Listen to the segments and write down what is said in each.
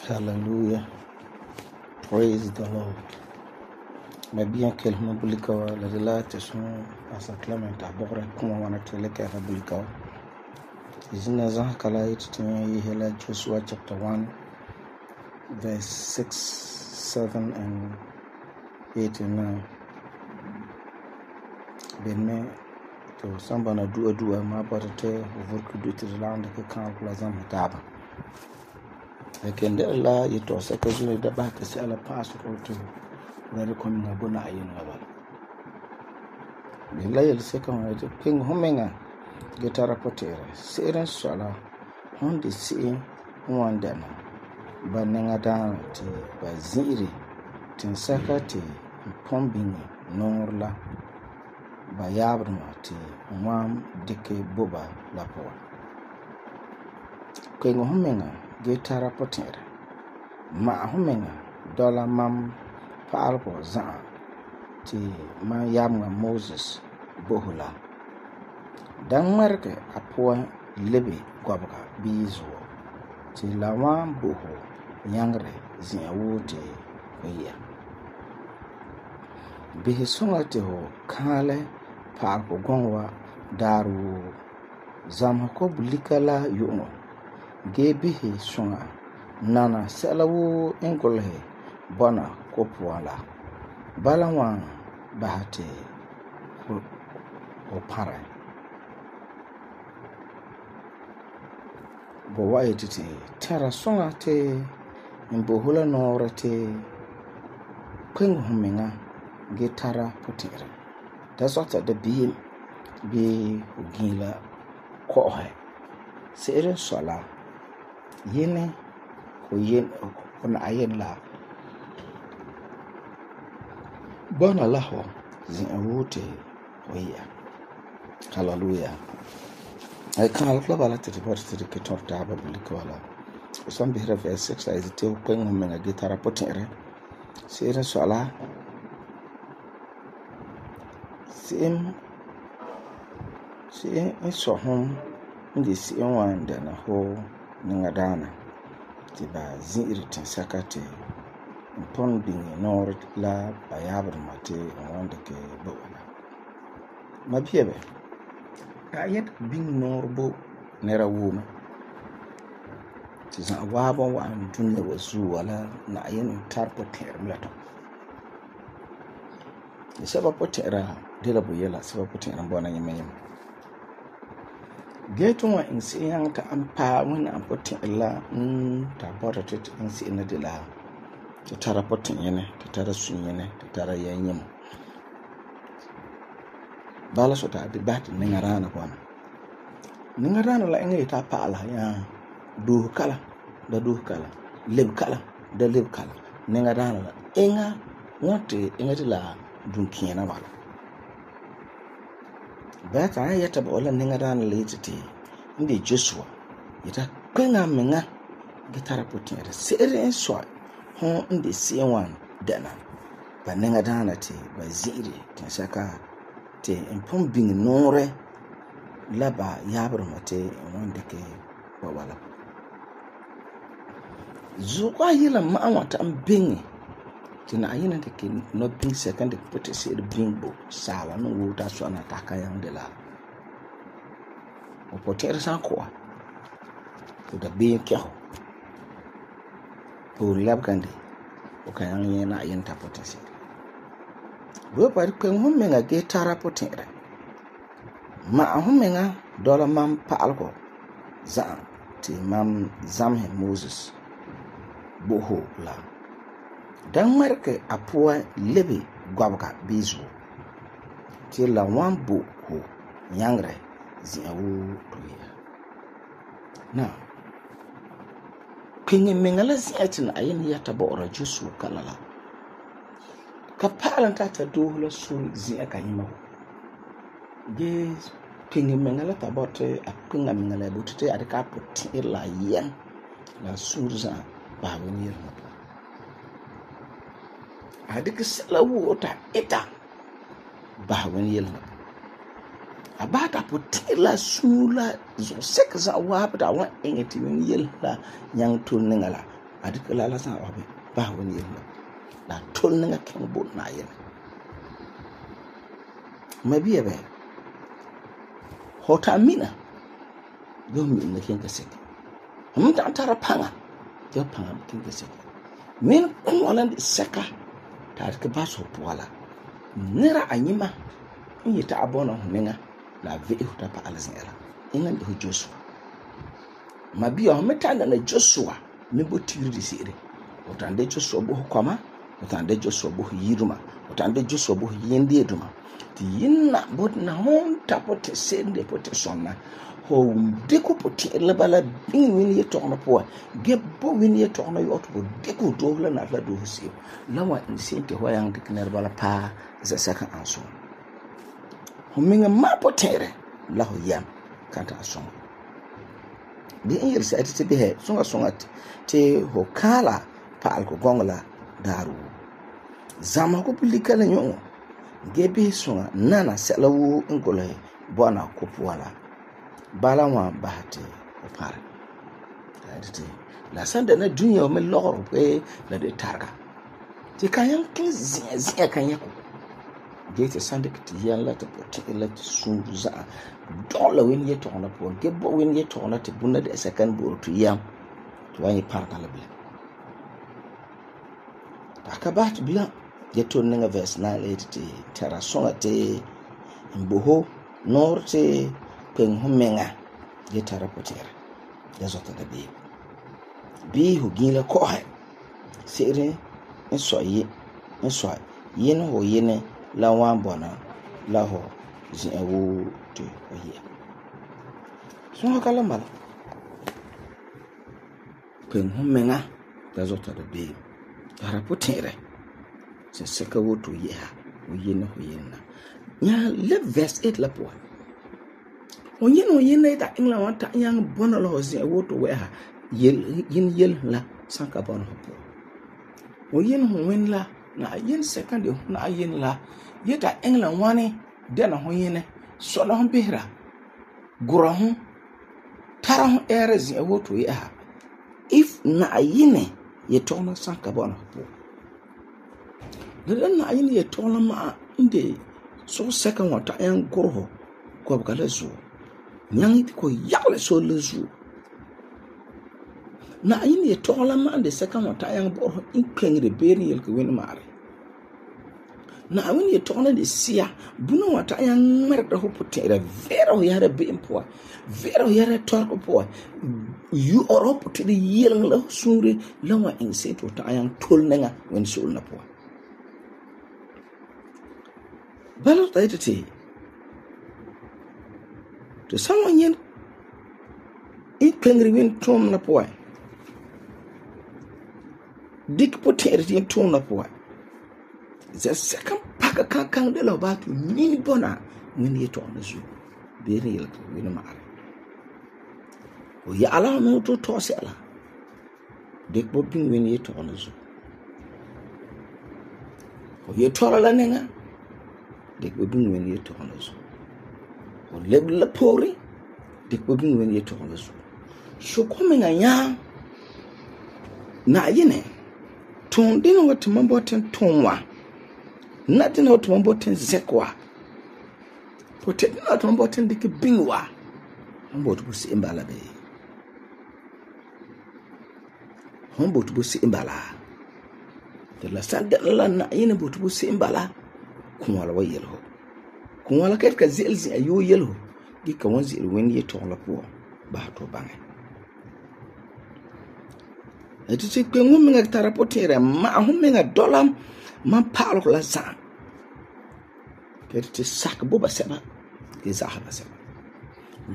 Hallelujah. Praise the Lord. Mabia kelma bulikawa la delata sun asa Clement abore kuma wana teleka bulikawa. Izina za kala yitinya hela Joshua chapter 1 verse 6, 7 and 8 and 9. Benme to sambana dua ma barate overku duti land ke kan plazam taba. Kende Allah yito saka zuni da ba ka sai ala passport to rare komi na bona ayin wala billahi el saka ma to king homenga getara potera seren sala honde si wanda na bananga da ti baziri tin saka ti pombini norla ba yabrma ti wam dike boba la poa king homenga getara potera ma homenga dola mam paalko zaa ti ma yamga Moses bohula dan marke apua lebe gwabga bizo ti lawa boho nyangre zia wote ya bihi songa ti ho kale paalko gongwa daru zam ko bulikala yuno gebihi songa nana salawu ingolhe bona kopuala balawan bahate o pare bo waititi tara songa te imbohula nora te kwengu huminga gitara potire da sota da bi ugila kohe sere sola yene ko yen on ayen la bona laho zin wote oya hallelujah ay kan la bala te porte ke torta ba buliko wala son bi verse 6 ay te ko ngom nga gitara potire sere sola sim so hom ndi si wanda na ho ninga dana ti ba zirtin sakate pon bingi nor la bayabr mate wanda ke bawala mabiebe ayet bing nor bo nera wuma ti za wabo wa dunne wasu wala na ayin tarpo ter mlato ni sababu tera dela buyela sababu tera bona yemen geto wa insi yang ta ampa wani ampotin illa ta bota tit insi ina dila ta tara potin yene ta tara sun yene ta tara yanyim bala so ta debat ningarana kwa ningarana la inga ta pala ya du kala leb kala da leb kala ningarana la inga wote inga dila dunkiyana wala bata yata ba wala ningarana la yititi ndi Joshua yita kwenga menga gitara potira sere so ho ndi siwan dana ba ningarana te ba ziri tin saka te impom bing nore laba yabro mate wanda ke wala zuwa yila ma wata ambingi tina ayina take no bing second put se bingbo sawa no wuta so na takayan de la o poter san ko to da bin kyo pour lab kande o kayan yena ayin ta potese bo par ko mun menga ge tara potera Ma humenga dola mam pa'algo za'am ti mam zamhe Moses bo ho la dan ŋmɛrige a puan lebe gɔbega biizu ti la wan bo ho nyaŋere zi'an woo to ya. Na kpeŋe meŋa la zi'an ti Na'ayinɛ yɛta bo'ora Joshua kala la ka pa'alem ta doohe la suri zi'an ka nyima ho. Ge kpeŋe meŋa la ta bɔte a kpeŋa meŋa la bote te a dika a puti'irɛ la yɛm la suri za'a ba wani yɛlma po. A dikɛ sɛla woo ta ita ba wani yɛlma po. A ba ta puti'irɛ la suri la zuɣusɛka za'a waabe da wan iŋɛ ti wani yɛlma la nyaŋ tol niŋa la a dikɛ la za'a waabe ba wani yɛlma po. La tol niŋa kɛŋ bo Na'ayinɛ. Mabia bɛ hota mina yo mi na ken ka seke mun ta tara panga yo panga ken ka seke min kun wala de seka ta ke baso poala nira anyima in yita abona huninga la ve hota pa alzela ingan de Joshua mabia ho meta na Joshua me botiri de sire hota de Joshua bo koma hota de Joshua bo yiruma hota de Joshua bo yende duma ti yinna bodna hon tapote sende pote sonna ho deku pote la bala bin wini yetokno po gebbo wini yetokno yoto bo deku do la na la do husi lawa insente ho yang dikner bala pa za saka anso ho minga ma potere la ho yam kanta aso di in yersa ati be he songa te ho kala pa alko gongla daru zama ko publika la nyo gebe songa nana sela wo ngole bona ko puala bala wa bahate o pare la sanda na dunya o me loro pe la de targa ti kayan kin zia kan yako gete sanda kiti yan la ta poti la suru za dola wen yeto na po gebo wen yeto na te bunna de second bo to yam to wani parka la bla takabat bla yeto ninga verse 9 te tara songa te mboho norte pen humenga yetara potera yazota da bi hu gila ko ha sere ensoye yen ho yen la wan bona la ho zin ewo to oye so kala mala pen humenga yazota da tara potera se seka woto yeha oyena hoyena nya le verse 8 la po oyena ta ingla wanta yang bona lo se woto weha yel la sanka bona ho oyena ho wen la na yen second na yen la yeta ingla wane dena hoyena so la hon behra gura ho tara ho ere ze woto yeha if na yene yetona sanka bona ho dan na yin ye tona ma inde so second wata yan gorho ko ba la zu nyang ko yakle so le zu na yin ye tona ma inde second wata yan borho in kengre beri yel ko wen mare na yin ye tona de sia buna wata yan merda ho potera vero yare be impo vero yare torko po you europe to the yel la sure lawa in set wata yan tolnga wen so na po balo ta ita ce to someone yin in kengri win tom na poa dik poter yin tom na poa the second pack kan de lo ba to ni bona win ye to na zu be real win ma are o ya ala no to se ala dik bo bin win ye to na zu o ye to la nenga dik bo bin wen ye to na zo o leb la pori dik bo bin wen ye to na zo so komi nga nya na yene ton dino wat mamboten tonwa na dino wat mamboten zekwa pote dino wat mamboten dik binwa mbot bu si imbala be mbot bu si imbala de la sanda la na yene bot bu si imbala kun wala wayelho kun wala ket ka zelzi ayo yelho ge ka wan ze'ele wẽnd yetɔgɔ la puan basɛ to baŋɛ. Ti ti kpeŋ hu menga tara potɛɛra ma'ahum menga dɔla man pa'alegɔ la za'a. Ti sakɛ bo ba sɛba ge za'a ba sɛba.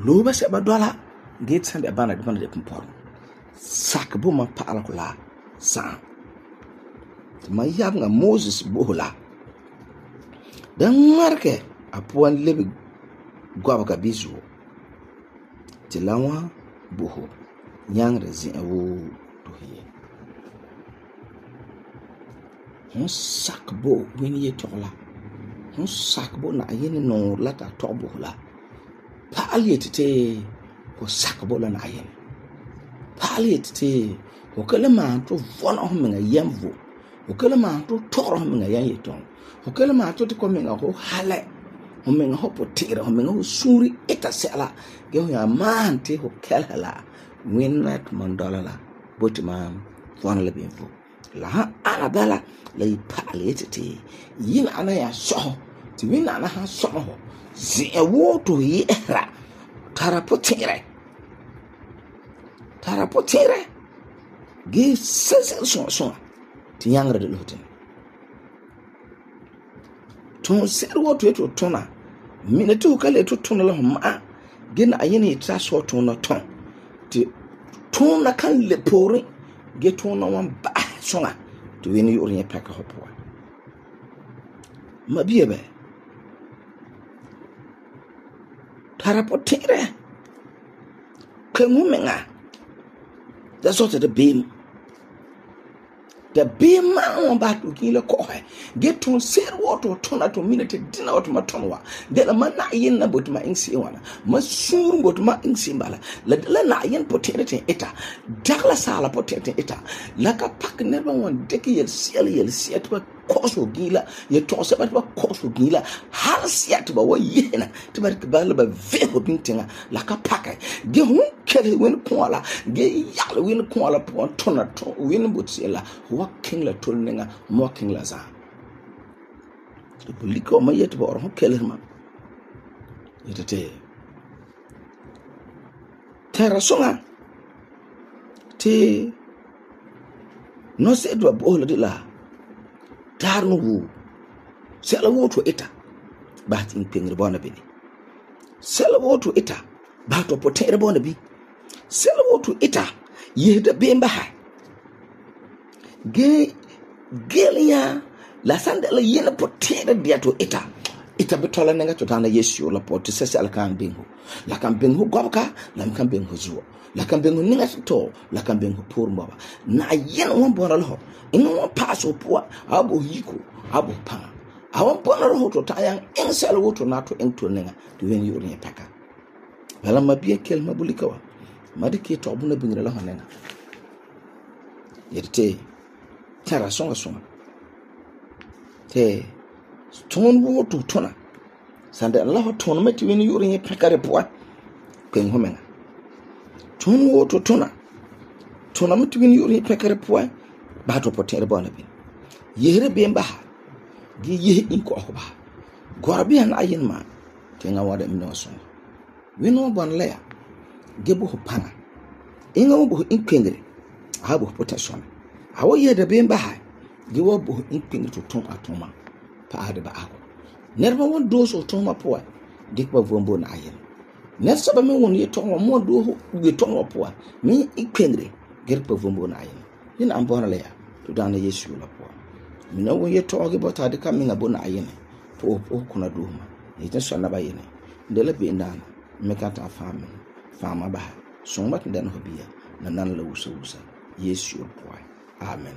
Loo ba sɛba dɔla ge san de bana de bana de pumpɔrɔ. Sakɛ bo man pa'alegɔ la za'a. Ti man yabeŋa Moses bo la. Dan ŋmarege a puan lebe gɔbega bizuo. Ti la wa bo ho nyaŋere zi'an woo to hiye. Hon sakɛ bo wẽnd yetɔgɔ la. Hon sakɛ bo Na'ayinɛ nɔɔrɛ la ta tɔgɛ bo la. Pa'al yeti ti ho sakɛ bo la Na'ayinɛ. Pa'al yeti ti ho ka le maan to vɔna ho menga yɛm vo. Ho ka le maan to tɔgɔra ho menga yɛm yetɔgɔ. Ho ka le maan to ko menga ho halɛ. Ho menga ho potɛɛra, ho menga ho suuri ita sɛla. Ge ho ya maan ti ho kɛlɛ la wẽnd na to man dɔla la boti man vɔna la ben vo. La han ana bala la yi pa'al yeti ti yina ana ya sɔho. Ti wẽnna ana han sɔma ho. Zi'an woo to yɛhera tara potɛɛra. Tara potɛɛra. Ge sɛsɛl sõa ti yãngere de lo tin. Ton sɛri woo to yeto tona. Mina ti ho ka le to tona la ho ma'a. Ge Na'ayinɛ yeti ta sɔ tona ton. Ti tona kan le pooren. Ge tona wan ba'asɛ sõa ti wẽnd yu'urɛ yẽ pɛka ho puan. Ma bia bɛ. Tara potɛɛra. Kpeŋ ho menga. Da sɔta de beem. Da beem maa wan ba to kin la kɔhɛ. Ge ton sɛri woo to tona to mina ti dina wa to ma ton wa. De la man Na'ayinɛ na boti ma insi wana. Ma suur boti ma insi bala. La Na'ayinɛ potɛɛra tin ita. Dagla sala potɛɛra tin ita. La ka pak neba wan deke yel siya ti ba kɔsɔ gila. Ye tɔgɔ sɛba ti ba kɔsɔ gila. Hal siya ti ba wa yehena. Ti ba ba la ba veho bintinga. La ka pakɛ. Ge hun kɛle wẽnd kɔa la. Ge yagle wẽnd kɔa la puan tona ton wẽnd boti la. Wa king la tol nenga mo king la za. To bulika ma yeti ba or ho kɛle ma. Yetete. Tara songa. Ti no se do bo la de la. Tar no wu. Sela wo to ita. Ba tin pengre bona bi. Sela wo to ita. Ba to potɛɛra bona bi. Sela wo to ita. Yehda bemba ha. Gelia la sanda la yena potɛɛra dia to ita. Ita betola nenga to tana Yesu la pot sese ala kan bengo. La kan bengo gobka, la kan bengo zuo. La kan bengo ninga to, la kan bengo pour mbaba. Na yen won bona lo. Ino won pass opua, abo yiko, abo pa. Awon bona lo to tayan ensel wo to na to ento nenga to wen yuri peka. Bala mabia kel mabulika wa. Madike to buna bingira la honenga. Yete tara songa. Te ton wo to tona. Sanda Allah ton meti wen yuri peka repwa. Kwen homenga. Ton wo to tona. Tona meti wen yuri peka repwa. Ba to potɛɛra bona bin. Yehere bemba ha. Ge yehe inko ahoba. Gorabi an ayin ma. Tenga wada mino so. Wino bon leya. Ge bo panga. Inga wo bo inkengre. Ha bo protection. Awo ye da bemba ha. Ge wo bo inkengre to ton atoma. Pa ade ba ako. Nerba won do so ton ma poa. Dik ba vombo na ayin. Nersa ba me won ye ton mo do ge ton wa poa. Mi inkengre. Ge pa vombo na ayin. Yin an bona leya. To dana Yesu la poa. Mina wo ye toge bota de ka minga bona ayene po kuna duhuma yete so na ba yene ndela be ndana me ka ta fama ba so mat ndan hobiya na nan la wusa Yesu poa. Amen.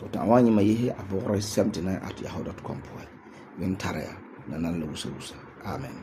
To ta wani ma yehe abore 79@yahoo.com poa. Wen taraya na nan la wusa. Amen.